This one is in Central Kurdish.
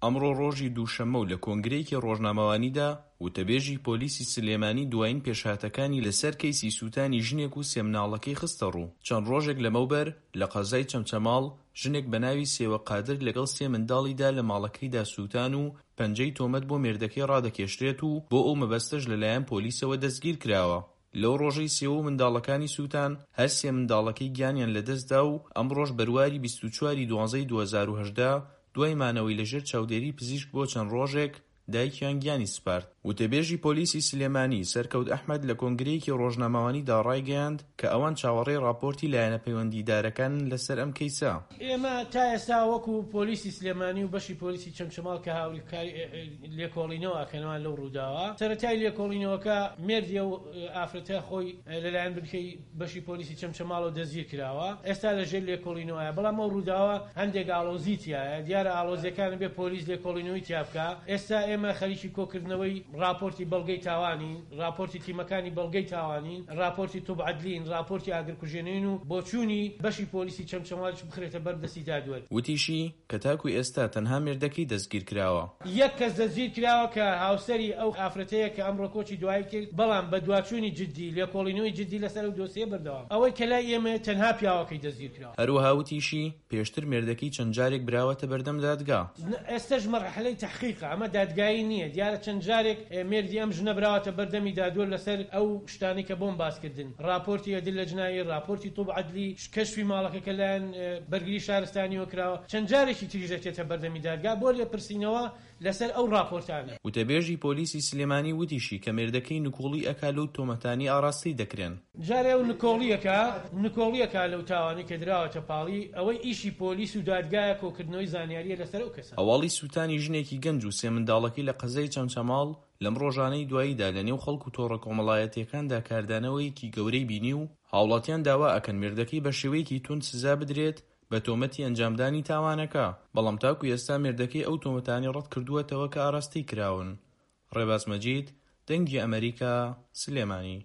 ئەمڕۆ ڕۆژی دووشەممە و لە کۆنگرەیەکی ڕۆژنامەوانیدا، وتەبێژی پۆلیسی سلێمانی دوایین پێشهاتەکانی لەسەر کەیسی سووتانی ژنێک و سێ مناڵەکەی خستەڕوو. چەند ڕۆژێک لەمەوبەر لە قەزای چەمچەماڵ، ژنێک بەناوی سێوە قادر لەگەڵ سێ منداڵیدا لە ماڵەکەیدا سووتان و پەنجەی تۆمەت بۆ مێردەکەی ڕادەکێشرێت و بۆ ئەو مەبەستەش لەلایەن پۆلیسەوە دەستگیرکراوە. لەو ڕۆژەی سێوە و منداڵەکانی سووتان، هەر سێ منداڵەکەی گیانیان لەدەستدا و ئەمڕۆش بەرواری 24 ی دوانزەی 2018 دوای مانەوەی لەژێر چاودێری پزیشک بۆ چەند ڕۆژێک، دایکیان گیانی سپارد. وتەبێژی پۆلیسی سلێمانی، سەرکەوت ئەحمەد لە کۆنگرەیەکی ڕۆژنامەوانیدا ڕایگەیاند کە ئەوان چاوەڕێی ڕاپۆرتی لایەنە پەیوەندیدارەکانن لەسەر ئەم کەیسە. ئێمە تا ئێستا وەکو پۆلیسی سلێمانی و بەشی پۆلیسی چەمچەماڵ کە هاوکاری لێکۆڵینەوە ئەکەنەوە لەو ڕووداوە، سەرەتای لێکۆڵینەوەکە مێردی ئەو ئافرەتە خۆی لەلایەن بنکەی بەشی پۆلیسی چەمچەماڵەوە دەستگیر کراوە، ئێستا لەژێر لێکۆڵینەوەیە، بەڵام ئەو ڕووداوە هەندێک ئاڵۆزی تیایە، دیارە ئاڵۆزیەکان ئەبێ پۆلیس لێکۆڵینەوەی تیا بکا، ئێستا ئێمە خەریکی کۆکردنەوەی ڕاپۆرتی بەڵگەی تاوانین، ڕاپۆرتی تیمەکانی بەڵگەی تاوانین، ڕاپۆرتی طب عدلین، ڕاپۆرتی ئاگرکوژێنەوەین و بۆچوونی بەشی پۆلیسی چەمچەماڵیش بخرێتە بەر دەستی دادوەر. وتیشی، کە تاکو ئێستا تەنها مێردەکەی دەستگیرکراوە. یەک کەس دەستگیرکراوە کە هاوسەری ئەو ئافرەتەیە کە ئەمڕۆ کۆچی دوایی کرد، بەڵام بەدواچوونی جدی، لێکۆڵینەوەی جدی لەسەر ئەو دۆسیەیە بەردەوامە. ئەوەی کە لای ئێمەیە تەنها پیاوەکەی دەستگیرکراوە. هەروەها وتیشی، پێشتر مێردەکەی چەند جارێک براوەتە بەردەم دادگا. ئێستەش مەرحەلەی تەحقیقە، ئەمە دادگایی نییە، دیارە چەند جارێک مێردی ئەم ژنە براوەتە بەردەمی دادوەر لەسەر ئەو شتانەی کە بۆم باس کردن، ڕاپۆرتی ئەدلە جنایی، ڕاپۆرتی طب عدلی، کەشفی ماڵەکە کە لایەن بەرگری شارستانیەوە کراوە، چەند جارێکی تریش دەچێتە بەردەمی دادگا بۆ لێپرسینەوە لەسەر ئەو ڕاپۆرتانە. وتەبێژی پۆلیسی سلێمانی وتیشی کە مێردەکەی نکوڵی ئەکا لەو تۆمەتانەی ئاراستەی دەکرێن. جارێ ئەو نکۆڵی ئەکا نکۆڵی ئەکا لەو تاوانەی کە دراوەتە پاڵی، ئەوەی ئیشی پۆلیس و دادگایە کۆکردنەوەی زانیاریە لەسەر ئەو کەسە. هەواڵی سوتانی ژنێکی گەنج و سێ منداڵەکەی لە قەزای چەمچەماڵ لەم ڕۆژانەی دواییدا لە نێو خەڵک و تۆڕە کۆمەڵایەتییەکاندا کاردانەوەیەکی گەورەی بینی و هاوڵاتیان داوا ئەکەن مێردەکەی بە شێوەیەکی توند سزا بدرێت بە تۆمەتی ئەنجامدانی تاوانەکە، بەڵام تاکو ئێستا مێردەکەی ئەو تۆمەتانەی ڕەتکردووەتەوە کە ئاراستەی کراون. ڕێباز مەجید، دەنگی ئەمەریکا، سلێمانی.